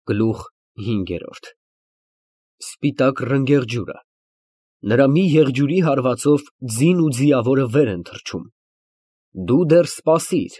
Գլուխ 5 Սպիտակ ռնգեղջյուրը, նրա մի եղջյուրի հարվածով ձին ու ձիավորը վեր են թռչում, դու դեռ սպասիր,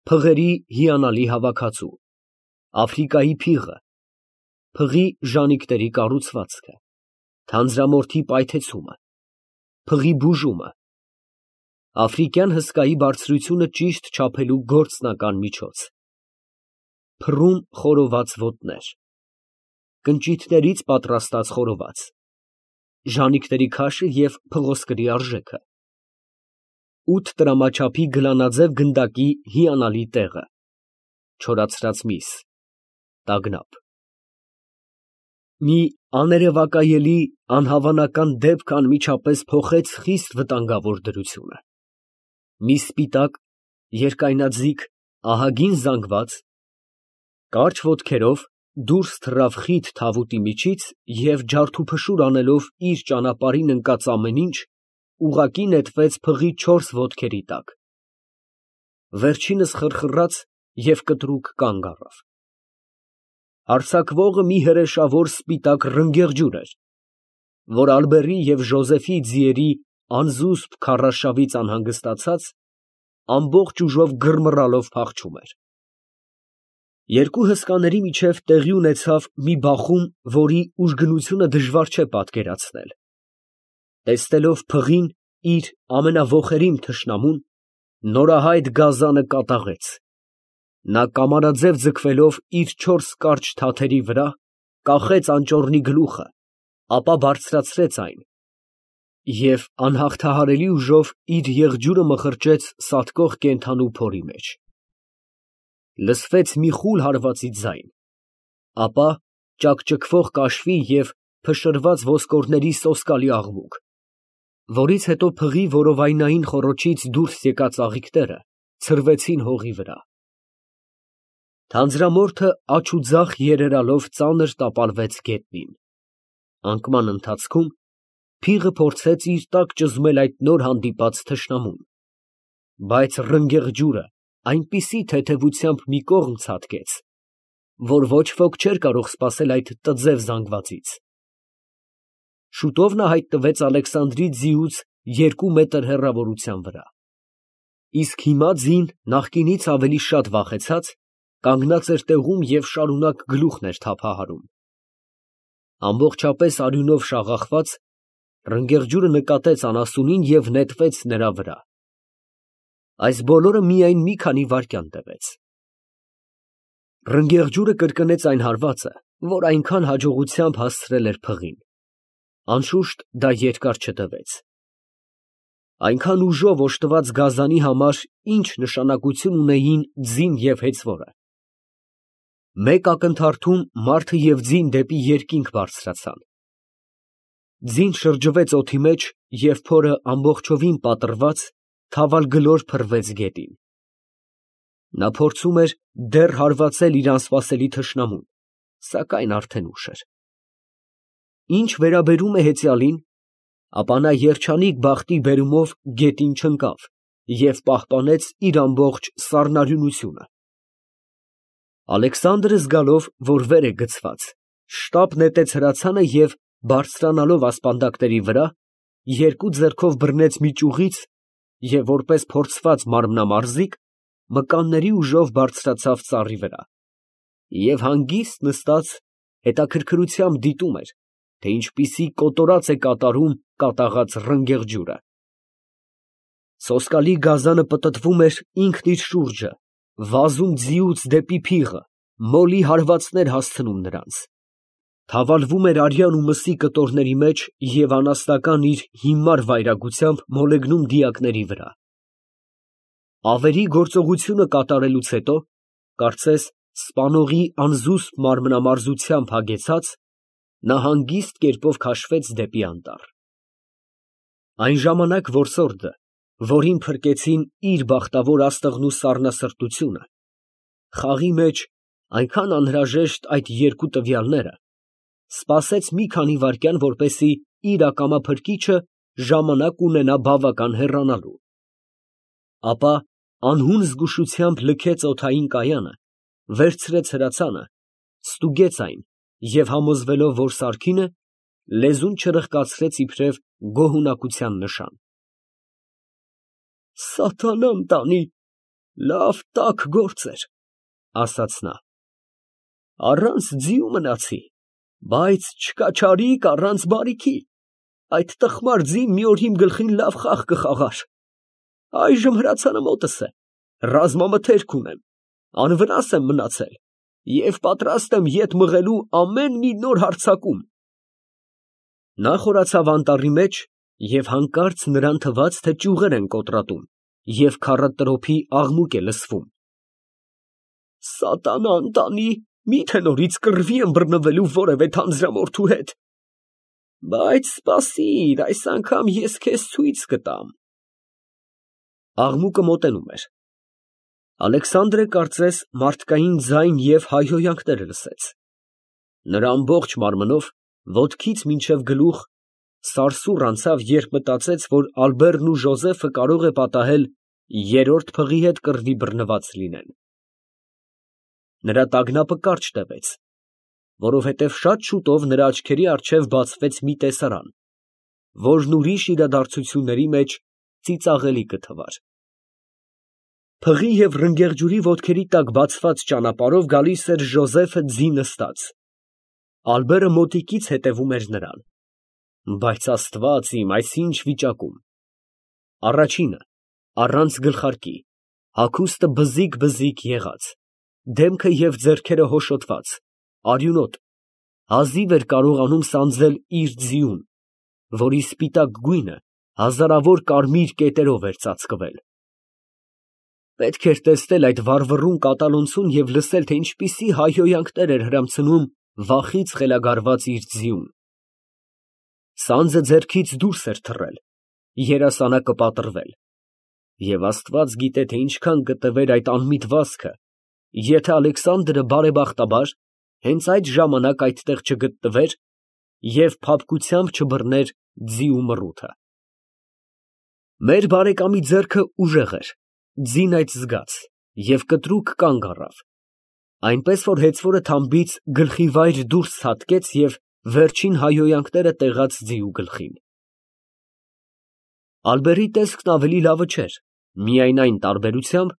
փղերի հիանալի հավաքածու, Աֆրիկայի փիղը, փղի ժանիքների կառուցվածքը, թանձրամորթի պայթեցումը, փղի բուժումը, աֆրիկյան հսկայի բարձրությունը ճիշտ չափելու գործնական միջոց, փռում խորոված ոտներ, կնճիթներից պատրաստած խորոված, ժանիքների քաշը և փղոսկրի արժեքը, 8 տրամաչափի գլանաձև գնդակի հիանալի տեղը, չորացրած միս, տագնապ, մի աներևակայելի անհավանական դեպք անմիջապես փոխեց խիստ վտանգավոր դրությունը, մի սպիտակ, երկայնաձիգ, ահագին զանգված, կարճ ոտքերով դուրս թռավ խիտ թավուտի միջից և ջարդուփշուր անելով իր ճանապարհին ընկած ամեն ինչ, ուղղակի նետվեց փղի 4 ոտքերի տակ, վերջինս խռխռաց և կտրուկ կանգ առավ, հարձակվողը մի հրեշավոր սպիտակ ռնգեղջյուր էր, որ Ալբերի և Ժոզեֆի ձիերի անզուսպ քարռաշավից անհանգստացած, ամբողջ ուժով գրմռալով փախչում էր, երկու հսկաների միջև տեղի ունեցավ մի բախում, որի ուժգնությունը դժվար չէ պատկերացնել, տեսնելով փղին իր ամենաոխերիմ թշնամուն, նորահայտ գազանը կատաղեց, նա կամարաձև ձգվելով իր 4 կարճ թաթերի վրա, կախեց անճոռնի գլուխը, ապա բարձրացրեց այն և անհաղթահարելի ուժով իր եղջյուրը մխրճեց սատկող կենդանու փորի մեջ, լսվեց մի խուլ հարվածի ձայն, ապա ճակճկվող կաշվի և փշրված ոսկորների սոսկալի աղմուկ, որից հետո փղի որովայնային խոռոչից դուրս եկած ծաղիկները ցրվեցին հողի վրա, թանձրամորթը աջ ու ձախ երերալով ծանր տապալվեց գետնին, անկման ընթացքում փիղը փորձեց իր տակ ճզմել այդ նոր հանդիպած թշնամուն, բայց ռնգեղջյուրը այնպիսի թեթևությամբ մի կողմ ցատկեց, որ ոչ ոք չէր կարող սպասել այդ տձև զանգվածից, շուտով նա հայտնվեց Ալեքսանդրի ձիուց 2 մետր հեռավորության վրա, իսկ հիմա ձին նախկինից ավելի շատ վախեցած, կանգնած էր տեղում և շարունակ գլուխն էր թափահարում, ամբողջապես արյունով շաղախված, ռնգեղջյուրը նկատեց անասունին և նետվեց նրա վրա, այս բոլորը միայն մի քանի վայրկյան տևեց, ռնգեղջյուրը կրկնեց այն հարվածը, որ այնքան հաջողությամբ հասցրել էր փղին, անշուշտ դա երկար չտևեց, այնքան ուժով օժտված գազանի համար ինչ նշանակություն ունեին ձին և հեծվորը, մեկ ակնթարթում մարդը և ձին դեպի երկինք բարձրացան, ձին շրջվեց օդի մեջ և փորը ամբողջովին պատռված, թավալգլոր փռվեց գետին, նա փորձում էր դեռ հարվածել իր անսպասելի թշնամուն, սակայն արդեն ուշ էր, ինչ վերաբերում է հեծյալին, ապա նա երջանիկ բախտի բերումով գետին չընկավ և պահպանեց իր ամբողջ սառնարյունությունը, Ալեքսանդրը զգալով, որ վեր է գցված, շտապ նետեց հրացանը և բարձրանալով ասպանդակների վրա, 2 ձեռքով բռնեց մի ճյուղից և որպես փորձված մարմնամարզիկ, մկանների ուժով բարձրացավ ծառի վրա և հանգիստ նստած հետաքրքրությամբ դիտում էր, թե ինչպիսի կոտորած է կատարում կատաղած ռնգեղջյուրը, սոսկալի գազանը պտտվում էր ինքն իր շուրջը, վազում ձիուց դեպի փիղը, մոլի հարվածներ հասցնում նրանց, թավալվում էր արյան ու մսի կտորների մեջ և անասնական իր հիմար վայրագությամբ մոլեգնում դիակների վրա, ավերի գործողությունը կատարելուց հետո, կարծես սպանողի անզուսպ մարմնամարզությամբ հագեցած, նա հանգիստ կերպով քաշվեց դեպի անտառ, այն ժամանակ որսորդը, որին փրկեցին իր բախտավոր աստղն ու սառնասրտությունը, խաղի մեջ այնքան անհրաժեշտ այդ 2 տվյալները, սպասեց մի քանի վայրկյան, որպեսզի իր ակամա փրկիչը ժամանակ ունենա բավական հեռանալու, ապա անհուն զգուշությամբ լքեց օդային կայանը, վերցրեց հրացանը ստուգեց այն և համոզվելով, որ սարքին է, լեզուն չրխկացրեց իբրև գոհունակության նշան։ Սատանան տանի, լավ տաք գործ էր, ասաց նա, առանց ձիու մնացի, բայց չկաչարիք առանց բարիքի, այդ տխմար ձին մի օր իմ գլխին լավ խաղ կխաղար, այժմ հրացանը մոտս է, ռազմամթերք ունեմ, անվնաս եմ մնացել և պատրաստ եմ ետ մղելու ամեն մի նոր հարձակում։ Նա խորացավ անտառի մեջ և հանկարծ նրան թվաց, թե ճյուղեր են կոտրատում և քառատրոփի աղմուկ է լսվում։ Սատանան տանի, միթե նորից կռվի եմ բռնվելու որևէ թանձրամորթու հետ, բայց սպասիր, այս անգամ ես քեզ ցույց կտամ։ Աղմուկը մոտենում էր։ Ալեքսանդրը կարծես մարդկային ձայն և հայհոյանքներ լսեց։ Նրա ամբողջ մարմնով, ոտքից մինչև գլուխ, սարսուռ անցավ, երբ մտածեց, որ Ալբերտն ու Ժոզեֆը կարող է պատահել երրորդ փղի հետ կռվի բռնված լինեն։ Նրա տագնապը կարճ տևեց, որովհետև շատ շուտով նրա աչքերի առջև բացվեց մի տեսարան, որն ուրիշ իրադարձությունների մեջ ծիծաղելի կթվար։ Փղի և ռնգեղջյուրի ոտքերի տակ բացված ճանապարհով գալիս էր Ժոզեֆը ձի նստած։ Ալբերը մոտիկից հետևում էր նրան։ Բայց Աստված իմ, այս ինչ վիճակում։ Առաջինը, առանց գլխարկի, հագուստը բզիկ եղած, դեմքը և ձեռքերը հոշոտված, արյունոտ, հազիվ էր կարողանում սանձել իր ձիուն, որի սպիտակ գույնը հազարավոր կարմիր կետերով էր ծածկվել։ Պետք էր տեսնել այդ վառվռուն կատալոնցուն և լսել, թե ինչպիսի հայհոյանքներ էր հրամցնում վախից խելագարված իր ձիուն։ Սանձը ձեռքից դուրս էր թռել, երասանակը պատռվել, և Աստված գիտե, թե ինչքան կտևեր այդ անմիտ վազքը, եթե Ալեքսանդրը բարեբախտաբար հենց այդ ժամանակ այդտեղ չգտնվեր և փափկությամբ չբռներ ձիու մռութը։ Մեր բարեկամի ձեռքը ուժեղ էր, ձին այդ զգաց և կտրուկ կանգ առավ, այնպես որ հեծվորը թամբից գլխիվայր դուրս ցատկեց և վերջին հայհոյանքները տեղաց ձիու գլխին։ Ալբերի տեսքն ավելի լավը չէր, միայն այն տարբերությամբ,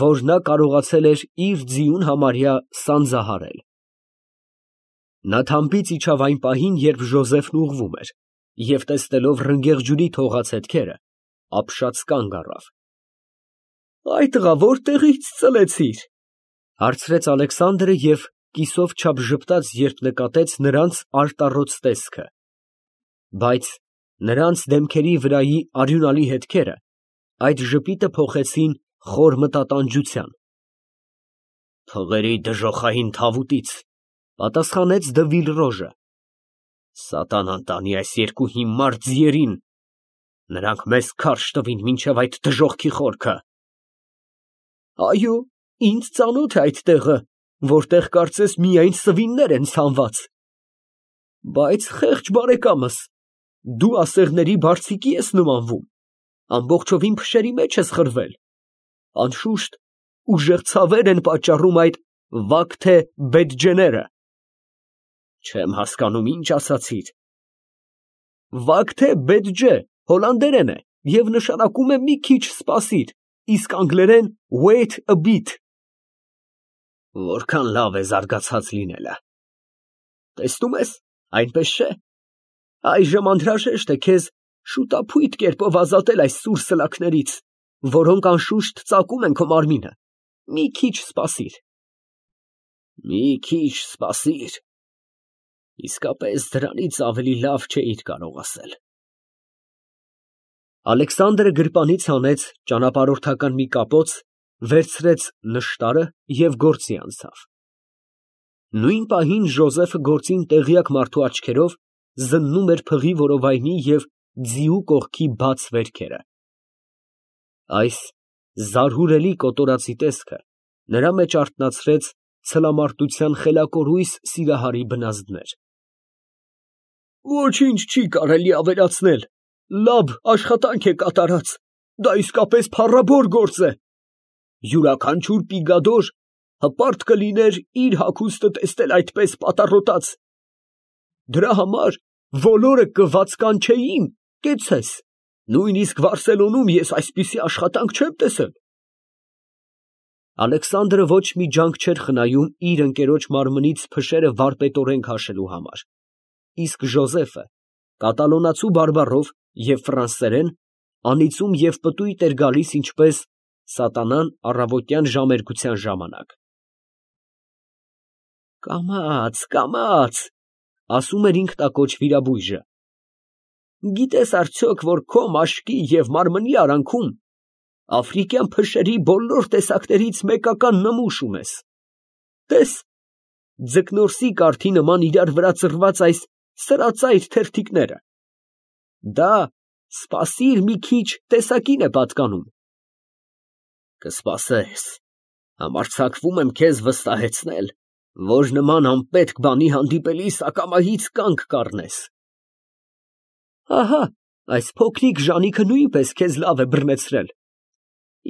որ նա կարողացել էր իր ձիուն համարյա սանձահարել։ Նա թամբից իջավ այն պահին, երբ Ժոզեֆն ուղղվում էր, և տեսնելով ռնգեղջյուրի թողած հետքերը, ապշած կանգ առավ։ Այ տղա, որտեղի՞ց ծլեցիր, հարցրեց Ալեքսանդրը և կիսով չափ ժպտաց, երբ նկատեց նրանց արտառոց տեսքը, բայց նրանց դեմքերի վրայի արյունալի հետքերը այդ ժպիտը փոխեցին խոր մտատանջության։ Փղերի դժոխային թավուտից, պատասխանեց Դը Վիլրոժը, սատանան տանի այս երկու հիմար ձիերին, նրանք մեզ քարշ տվին մինչև այդ դժոխքի խորքը։ Այո, ինձ ծանոթ է այդ տեղը, որտեղ կարծես միայն սվիններ են ցանված։ Բայց խեղճ բարեկամս, դու ասեղների բարձիկի ես նմանվում, ամբողջովին փշերի մեջ ես խրվել, անշուշտ ուժեղ ցավեր են պատճառում այդ Վակթե Բեդջեները։ Չեմ հասկանում, ինչ ասացիր։ Վակթե Բեդջե հոլանդերեն է և նշանակում է մի քիչ սպասիր, իսկ անգլերեն wait a bit։ Որքան լավ է զարգացած լինելը։ Տեսնում ես, այնպես չէ։ Այժմ անհրաժեշտ է քեզ շուտափույթ կերպով ազատել այս սուր սլաքներից, որոնք անշուշտ ծակում են քո մարմինը։ Մի քիչ սպասիր։ Մի քիչ սպասիր։ Իսկապես դրանից ավելի լավ չէիր կարող ասել։ Ալեքսանդրը գրպանից հանեց ճանապարհորդական մի կապոց, վերցրեց նշտարը և գործի անցավ։ Նույն պահին Ժոզեֆը գործին տեղյակ մարդու աչքերով զննում էր փղի որովայնի և ձիու կողքի բաց վերքերը։ Այս զարհուրելի կոտորածի տեսքը նրա մեջ արթնացրեց ցլամարտության խելակորույս սիրահարի բնազդներ։ Ոչինչ չի կարելի ավելացնել, լավ աշխատանք է կատարած, դա իսկապես փառավոր գործ է։ Յուրաքանչյուր պիգադոր հպարտ կլիներ իր հագուստը տեսնել այդպես պատառոտած։ Դրա համար բոլորը կվացկանչեին, կեցցես, նույնիսկ Վարսելոնում ես այսպիսի աշխատանք չեմ տեսել։ Ալեքսանդրը ոչ մի ջանք չէր խնայում իր ընկերոջ մարմնից փշերը վարպետորեն քաշելու համար, իսկ Ժոզեֆը կատալոնացու բարբառով և ֆրանսերեն անիծում և պտույտ էր գալիս ինչպես սատանան առավոտյան ժամերգության ժամանակ։ «Կամաց, կամաց», ասում էր ինքնատակոչ վիրաբույժը, գիտես արդյոք, որ քո մաշկի և մարմնի արանքում աֆրիկյան փշերի բոլոր տեսակներից մեկական նմուշ ունես։ Տես, ձկնորսի կարթի նման իրար վրա ծռված այս սրածայր թերթիկները։ Դա սպասիր մի քիչ տեսակին է պատկանում։ Կսպասես, համարձակվում եմ քեզ վստահեցնել, որ նման անպետք բանի հանդիպելիս ակամայից կանգ կառնես։ Ահա, այս փոքրիկ ժանիքը նույնպես քեզ լավ է բռնեցրել։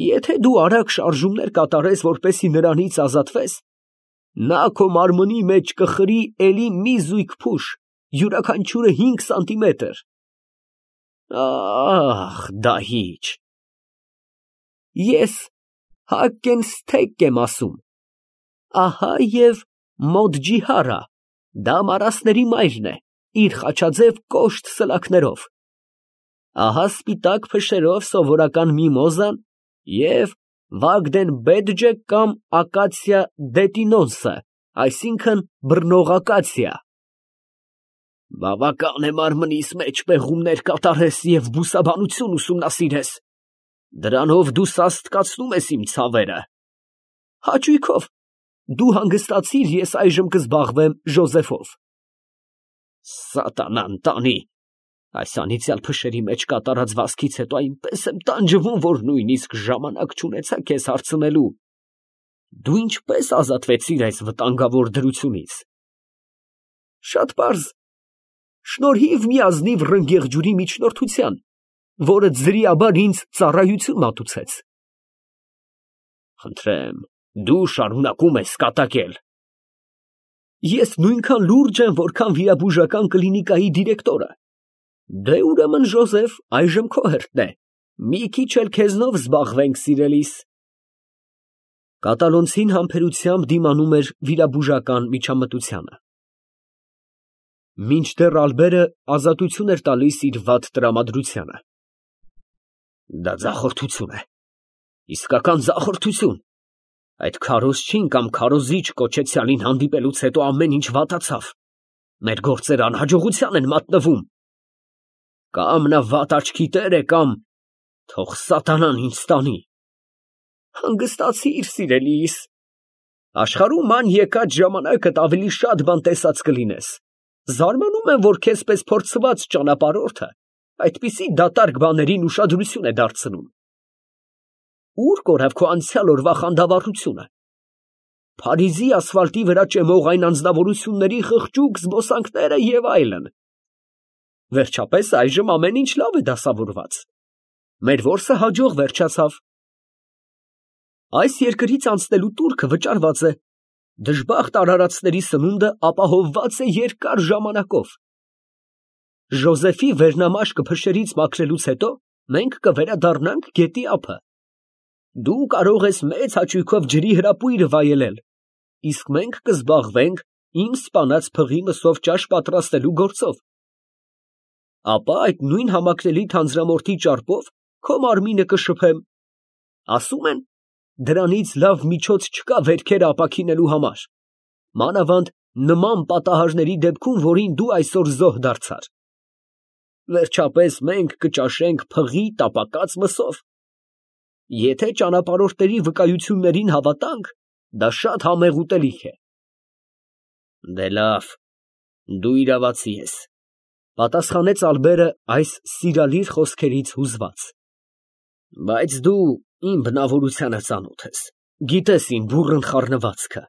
Եթե դու արագ շարժումներ կատարես, որպեսզի նրանից ազատվես, նա քո մարմնի մեջ կխրի էլի մի զույգ փուշ, յուրաքանչյուրը 5 սանտիմետր։ Ահ, դահիճ։ Ես Հակենստեկ եմ ասում։ Ահա և Մոդջիհարը, դա մարասների մայրն է, իր խաչաձև կոշտ սլաքներով։ Ահա սպիտակ փշերով սովորական միմոզան և Վագդենբեդջը կամ ակացիա դետինոնսը, այսինքն բռնող ակացիա։ Բավական է մարմնիս մեջ պեղումներ կատարես և բուսաբանություն ուսումնասիրես։ Դրանով դու սաստկացնում ես իմ ցավերը։ Հաճույքով, դու հանգստացիր, ես այժմ կզբաղվեմ Ժոզեֆով։ Սատանան տանի, այս անիծյալ փշերի մեջ կատարած վազքից հետո այնպես եմ տանջվում, որ նույնիսկ ժամանակ չունեցա քեզ հարցնելու։ Դու ինչպես ազատվեցիր այս վտանգավոր դրությունից։ Շատ պարզ, շնորհիվ մի ազնիվ ռնգեղջյուրի միջնորդության, որը ձրիաբար ինձ ծառայություն մատուցեց։ Խնդրեմ, դու շարունակում ես կատակել։ Ես նույնքան լուրջ եմ, որքան վիրաբուժական կլինիկայի դիրեկտորը։ Դե ուրեմն, Ժոզեֆ, այժմ քո հերթն է։ Մի քիչ էլ քեզնով զբաղվենք, սիրելիս։ Կատալոնցին համբերությամբ դիմանում էր վիրաբուժական միջամտությանը։ Մինչդեռ Ալբերը ազատություն էր տալիս իր վատ տրամադրությանը։ Դա ձախորդություն է, իսկական ձախորդություն։ Այդ քարոզչին կամ քարոզիչ կոչեցյալին հանդիպելուց հետո ամեն ինչ վատացավ։ Մեր գործերը անհաջողության են մատնվում։ Կամ նա վատ աչքի տեր է, կամ թող սատանան ինձ տանի։ Հանգստացիր, սիրելիս։ Աշխարհում ման եկած ժամանակդ ավելի շատ բան տեսած կլինես։ Զարմանում եմ, որ քեզպես փորձված ճանապարհորդը այդպիսի դատարկ բաներին ուշադրություն է դարձնում։ Ուր կորավ քո անցյալ օրվա խանդավառությունը։ Փարիզի ասֆալտի վրա ճեմող այն անձնավորությունների խղճուկ զբոսանքները և այլն։ Վերջապես այժմ ամեն ինչ լավ է դասավորված։ Մեր որսը հաջող վերջացավ։ Այս երկրից անցնելու տուրքը վճարված է։ Դժբախտ արարածների սնունդը ապահովված է երկար ժամանակով։ Ժոզեֆի վերնամաշկը փշերից մաքրելուց հետո մենք կվերադառնանք գետի ափը։ Դու կարող ես մեծ հաճույքով ջրի հրապույրը վայելել, իսկ մենք կզբաղվենք իմ սպանած փղի մսով ճաշ պատրաստելու գործով։ Ապա այդ նույն համակրելի թանձրամորթի ճարպով քո մարմինը կշփեմ։ Ասում են, դրանից լավ միջոց չկա վերքերը ապաքինելու համար, մանավանդ նման պատահարների դեպքում, որին դու այսօր զոհ դարձար։ Վերջապես մենք կճաշենք փղի տապակած մսով։ Եթե ճանապարհորդների վկայություններին հավատանք, դա շատ համեղ ուտելիք է։ Դե լավ, դու իրավացի ես, պատասխանեց Ալբերը այս սիրալիր խոսքերից հուզված։ Բայց դու իմ բնավորությանը ծանոթ ես, գիտես իմ բուռն խառնվածքը։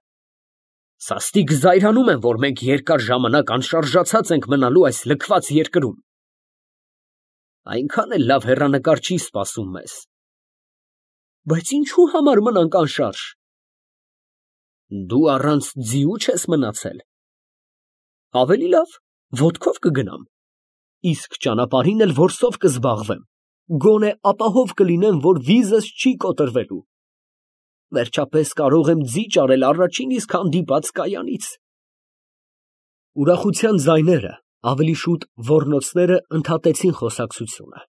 Սաստիկ զայրանում եմ, որ մենք երկար ժամանակ անշարժացած ենք մնալու այս լքված երկրում։ Այնքան էլ լավ հեռանկար չի սպասում մեզ։ Բայց ինչու համար մնանք անշարժ։ Դու առանց ձիու չես մնացել։ Ավելի լավ, ոտքով կգնամ, իսկ ճանապարհին էլ որսով կզբաղվեմ, գոնե ապահով կլինեմ, որ վիզս չի կոտրվելու։ Վերջապես կարող եմ ձի ճարել առաջին իսկ հանդիպած կայանից։ Ուրախության ձայները, ավելի շուտ ոռնոցները ընդհատեցին խոսակցությունը։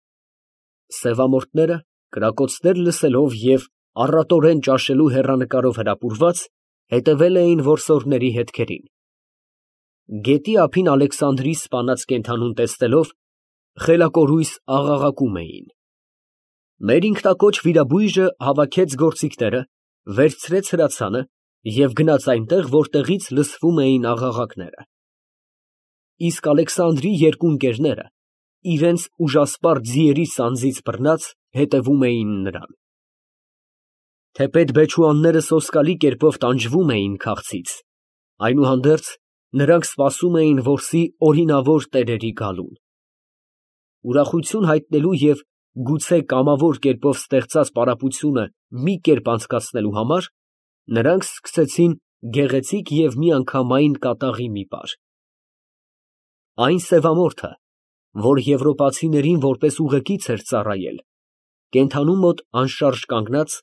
Սևամորթները, կրակոցներ լսելով և առատորեն ճաշելու հեռանկարով հրապուրված, հետևել էին որսորդների հետքերին։ Գետի ափին Ալեքսանդրի սպանած կենդանուն տեսնելով, խելակորույս աղաղակում էին։ Մեր ինքնակոչ վիրաբույժը հավաքեց գործիքները, վերցրեց հրացանը և գնաց այնտեղ, որտեղից լսվում էին աղաղակները։ Իսկ Ալեքսանդրի երկու ընկերները, իրենց ուժասպառ ձիերի սանձից բռնած, հետևում էին նրան։ Թեպետ բեչուանները սոսկալի կերպով տանջվում էին քաղցից, այնուհանդերձ նրանք սպասում էին որսի օրինավոր տերերի գալուն։ Ուրախություն հայտնելու և գուցե կամավոր կերպով ստեղծած պարապությունը մի կերպ անցկացնելու համար նրանք սկսեցին գեղեցիկ և միանգամայն կատաղի մի պար։ Այն սևամորթը, որ եվրոպացիներին որպես ուղեկից էր ծառայել, կենդանու մոտ անշարժ կանգնած,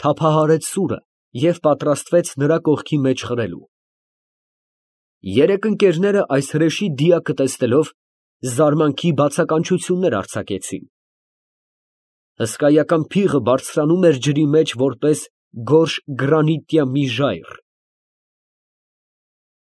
թափահարեց սուրը և պատրաստվեց նրա կողքի մեջ խրելու։ Երեք ընկերները այս հրեշի դիակը տեսնելով, զարմանքի բացականչություններ արձակեցին։ Հսկայական փիղը բարձրանում էր ջրի մեջ որպես գորշ գրանիտյա մի ժայռ,